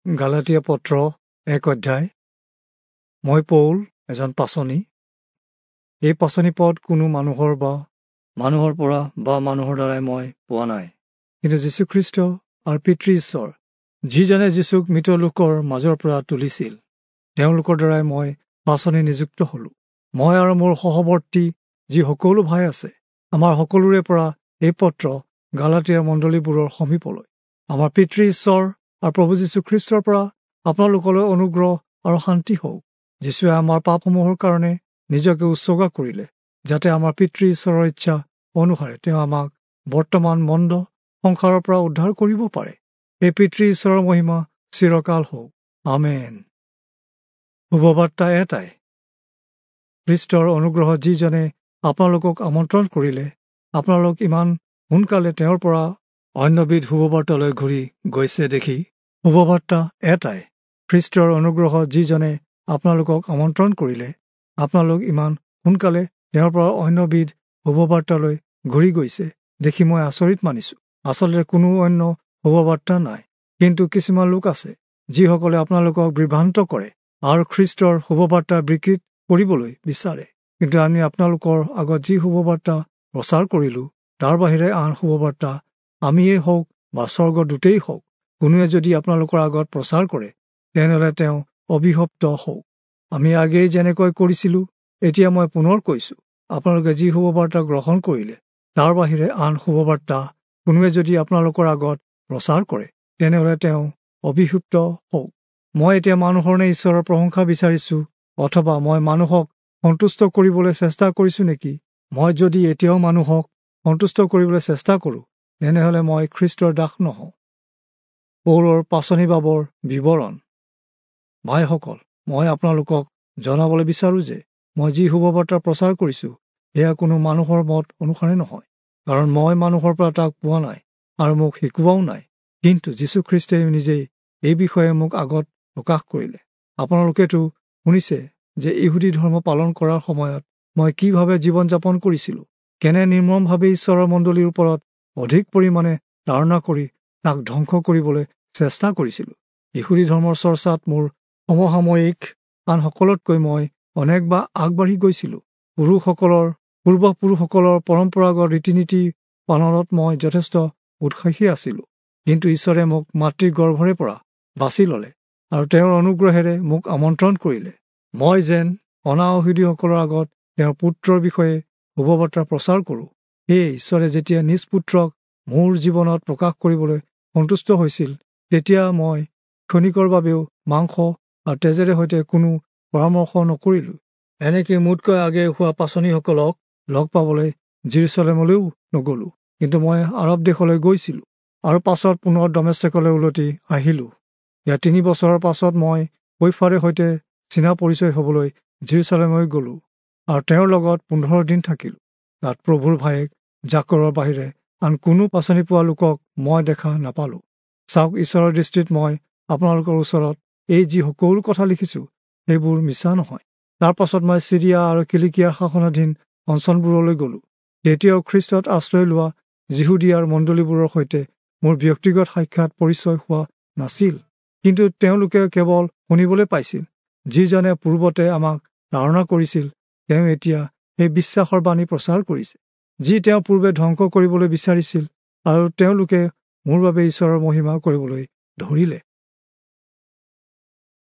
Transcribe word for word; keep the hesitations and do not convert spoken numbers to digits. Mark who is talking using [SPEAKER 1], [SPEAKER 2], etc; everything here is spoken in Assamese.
[SPEAKER 1] গালাতীয়া পত্ৰ এক অধ্যায়। মই পৌল, এজন পাচনি। এই পাচনি পদ কোনো মানুহৰ বা মানুহৰ পৰা বা মানুহৰ দ্বাৰাই মই পোৱা নাই, কিন্তু যীশুখ্ৰীষ্ট আৰু পিতৃ ঈশ্বৰ, যিজনে যীশুক মৃত লোকৰ মাজৰ পৰা তুলিছিল, তেওঁলোকৰ দ্বাৰাই মই পাচনি নিযুক্ত হলোঁ। মই আৰু মোৰ সহৱৰ্তী যি সকলো ভাই আছে, আমাৰ সকলোৰে পৰা এই পত্ৰ গালাতীয়াৰ মণ্ডলীবোৰৰ সমীপলৈ, আমাৰ পিতৃ ঈশ্বৰ আৰু প্ৰভু যীশুখ্ৰীষ্টৰ পৰা আপোনালোকলৈ অনুগ্ৰহ আৰু শান্তি হওক। যীশুৱে আমাৰ পাপসমূহৰ কাৰণে নিজকে উৎসৰ্গা কৰিলে, যাতে আমাৰ পিতৃ ঈশ্বৰৰ ইচ্ছা অনুসাৰে তেওঁ আমাক বৰ্তমান মন্দ সংসাৰৰ পৰা উদ্ধাৰ কৰিব পাৰে। এই পিতৃ ঈশ্বৰৰ মহিমা চিৰকাল হওক। আমেন। শুভবাৰ্তা এটাই। খ্ৰীষ্টৰ অনুগ্ৰহ যিজনে আপোনালোকক আমন্ত্ৰণ কৰিলে, আপোনালোক ইমান সোনকালে তেওঁৰ পৰা অন্যবিধ শুভবাৰ্তালৈ ঘূৰি গৈছে দেখি। শুভবাৰ্তা এটাই। খ্ৰীষ্টৰ অনুগ্ৰহ যিজনে আপোনালোকক আমন্ত্ৰণ কৰিলে, আপোনালোক ইমান সোনকালে তেওঁৰ পৰা অন্যবিধ শুভবাৰ্তালৈ ঘূৰি গৈছে দেখি মই আচৰিত মানিছোঁ। আচলতে কোনো অন্য শুভবাৰ্তা নাই, কিন্তু কিছুমান লোক আছে যিসকলে আপোনালোকক বিভ্ৰান্ত কৰে আৰু খ্ৰীষ্টৰ শুভবাৰ্তা বিকৃত কৰিবলৈ বিচাৰে। কিন্তু আমি আপোনালোকৰ আগত যি শুভবাৰ্তা প্ৰচাৰ কৰিলোঁ, তাৰ বাহিৰে আন শুভবাৰ্তা আমিয়েই হওক বা স্বৰ্গদূতেই হওক, কোনোৱে যদি আপোনালোকৰ আগত প্ৰচাৰ কৰে, তেনেহ'লে তেওঁ অভিশপ্ত হওক। আমি আগেয়ে যেনেকৈ কৰিছিলোঁ, এতিয়া মই পুনৰ কৈছোঁ, আপোনালোকে যি শুভবাৰ্তা গ্ৰহণ কৰিলে, তাৰ বাহিৰে আন শুভবাৰ্তা কোনোৱে যদি আপোনালোকৰ আগত প্ৰচাৰ কৰে, তেনেহ'লে তেওঁ অভিশপ্ত হওক। মই এতিয়া মানুহৰ নে ঈশ্বৰৰ প্ৰশংসা বিচাৰিছোঁ, অথবা মই মানুহক সন্তুষ্ট কৰিবলৈ চেষ্টা কৰিছোঁ নেকি? মই যদি এতিয়াও মানুহক সন্তুষ্ট কৰিবলৈ চেষ্টা কৰোঁ, তেনেহ'লে মই খ্ৰীষ্টৰ দাস নহওঁ। পৌলৰ পাচনি বাবৰ বিৱৰণ। ভাইসকল, মই আপোনালোকক জনাবলৈ বিচাৰোঁ যে মই যি শুভবাৰ্তা প্ৰচাৰ কৰিছোঁ, সেয়া কোনো মানুহৰ মত অনুসাৰে নহয়, কাৰণ মই মানুহৰ পৰা তাক পোৱা নাই আৰু মোক শিকোৱাও নাই, কিন্তু যীশুখ্ৰীষ্টই নিজেই এই বিষয়ে মোক আগত প্ৰকাশ কৰিলে। আপোনালোকেতো শুনিছে যে ইহুদী ধৰ্ম পালন কৰাৰ সময়ত মই কিভাৱে জীৱন যাপন কৰিছিলোঁ, কেনে নিৰ্মমভাৱে ঈশ্বৰৰ মণ্ডলীৰ ওপৰত অধিক পৰিমাণে তাড়না কৰি তাক ধ্বংস কৰিবলৈ চেষ্টা কৰিছিলোঁ। ইহুদী ধৰ্মৰ চৰ্চাত মোৰ সমসাময়িক আনসকলতকৈ মই অনেকবাৰ আগবাঢ়ি গৈছিলোঁ। পুৰুষসকলৰ পূৰ্বপুৰুষসকলৰ পৰম্পৰাগত ৰীতি নীতি পালনত মই যথেষ্ট উৎসাহী আছিলোঁ, কিন্তু ঈশ্বৰে মোক মাতৃৰ গৰ্ভৰে পৰা বাছি ল'লে আৰু তেওঁৰ অনুগ্ৰহেৰে মোক আমন্ত্ৰণ কৰিলে, মই যেন অনা-ইহুদীসকলৰ আগত তেওঁৰ পুত্ৰৰ বিষয়ে শুভবাৰ্তা প্ৰচাৰ কৰোঁ। সেয়ে ঈশ্বৰে যেতিয়া নিজ পুত্ৰক মোৰ জীৱনত প্ৰকাশ কৰিবলৈ সন্তুষ্ট হৈছিল, তেতিয়া মই ক্ষণিকৰ বাবেও মাংস আৰু তেজেৰে সৈতে কোনো পৰামৰ্শ নকৰিলোঁ। এনেকৈ মোতকৈ আগে হোৱা পাচনিসকলক লগ পাবলৈ যিৰূচালেমলৈও নগ'লোঁ, কিন্তু মই আৰৱ দেশলৈ গৈছিলোঁ আৰু পাছত পুনৰ দমেচকলৈ উলটি আহিলোঁ। ইয়াৰ তিনি বছৰৰ পাছত মই কৈফাৰে সৈতে চিনা পৰিচয় হ'বলৈ যিৰূচালেমলৈ গ'লোঁ আৰু তেওঁৰ লগত পোন্ধৰ দিন থাকিলোঁ। তাত প্ৰভুৰ ভায়েক জাকৰৰ বাহিৰে আন কোনো পাচনি পোৱা লোকক মই দেখা নাপালোঁ। চাওক, ঈশ্বৰৰ দৃষ্টিত মই আপোনালোকৰ ওচৰত এই যি সকলো কথা লিখিছোঁ, সেইবোৰ মিছা নহয়। তাৰ পাছত মই চিৰিয়া আৰু কিলিকিয়াৰ শাসনাধীন অঞ্চলবোৰলৈ গ'লোঁ। তেতিয়াও খ্ৰীষ্টত আশ্ৰয় লোৱা যিহুদীয়াৰ মণ্ডলীবোৰৰ সৈতে মোৰ ব্যক্তিগত সাক্ষাৎ পৰিচয় হোৱা নাছিল, কিন্তু তেওঁলোকে কেৱল শুনিবলৈ পাইছিল, যিজনে পূৰ্বতে আমাক তাড়না কৰিছিল, তেওঁ এতিয়া সেই বিশ্বাসৰ বাণী প্ৰচাৰ কৰিছে, যি তেওঁ পূৰ্বে ধ্বংস কৰিবলৈ বিচাৰিছিল, আৰু তেওঁলোকে মোৰ বাবে ঈশ্বৰৰ মহিমা কৰিবলৈ ধৰিলে।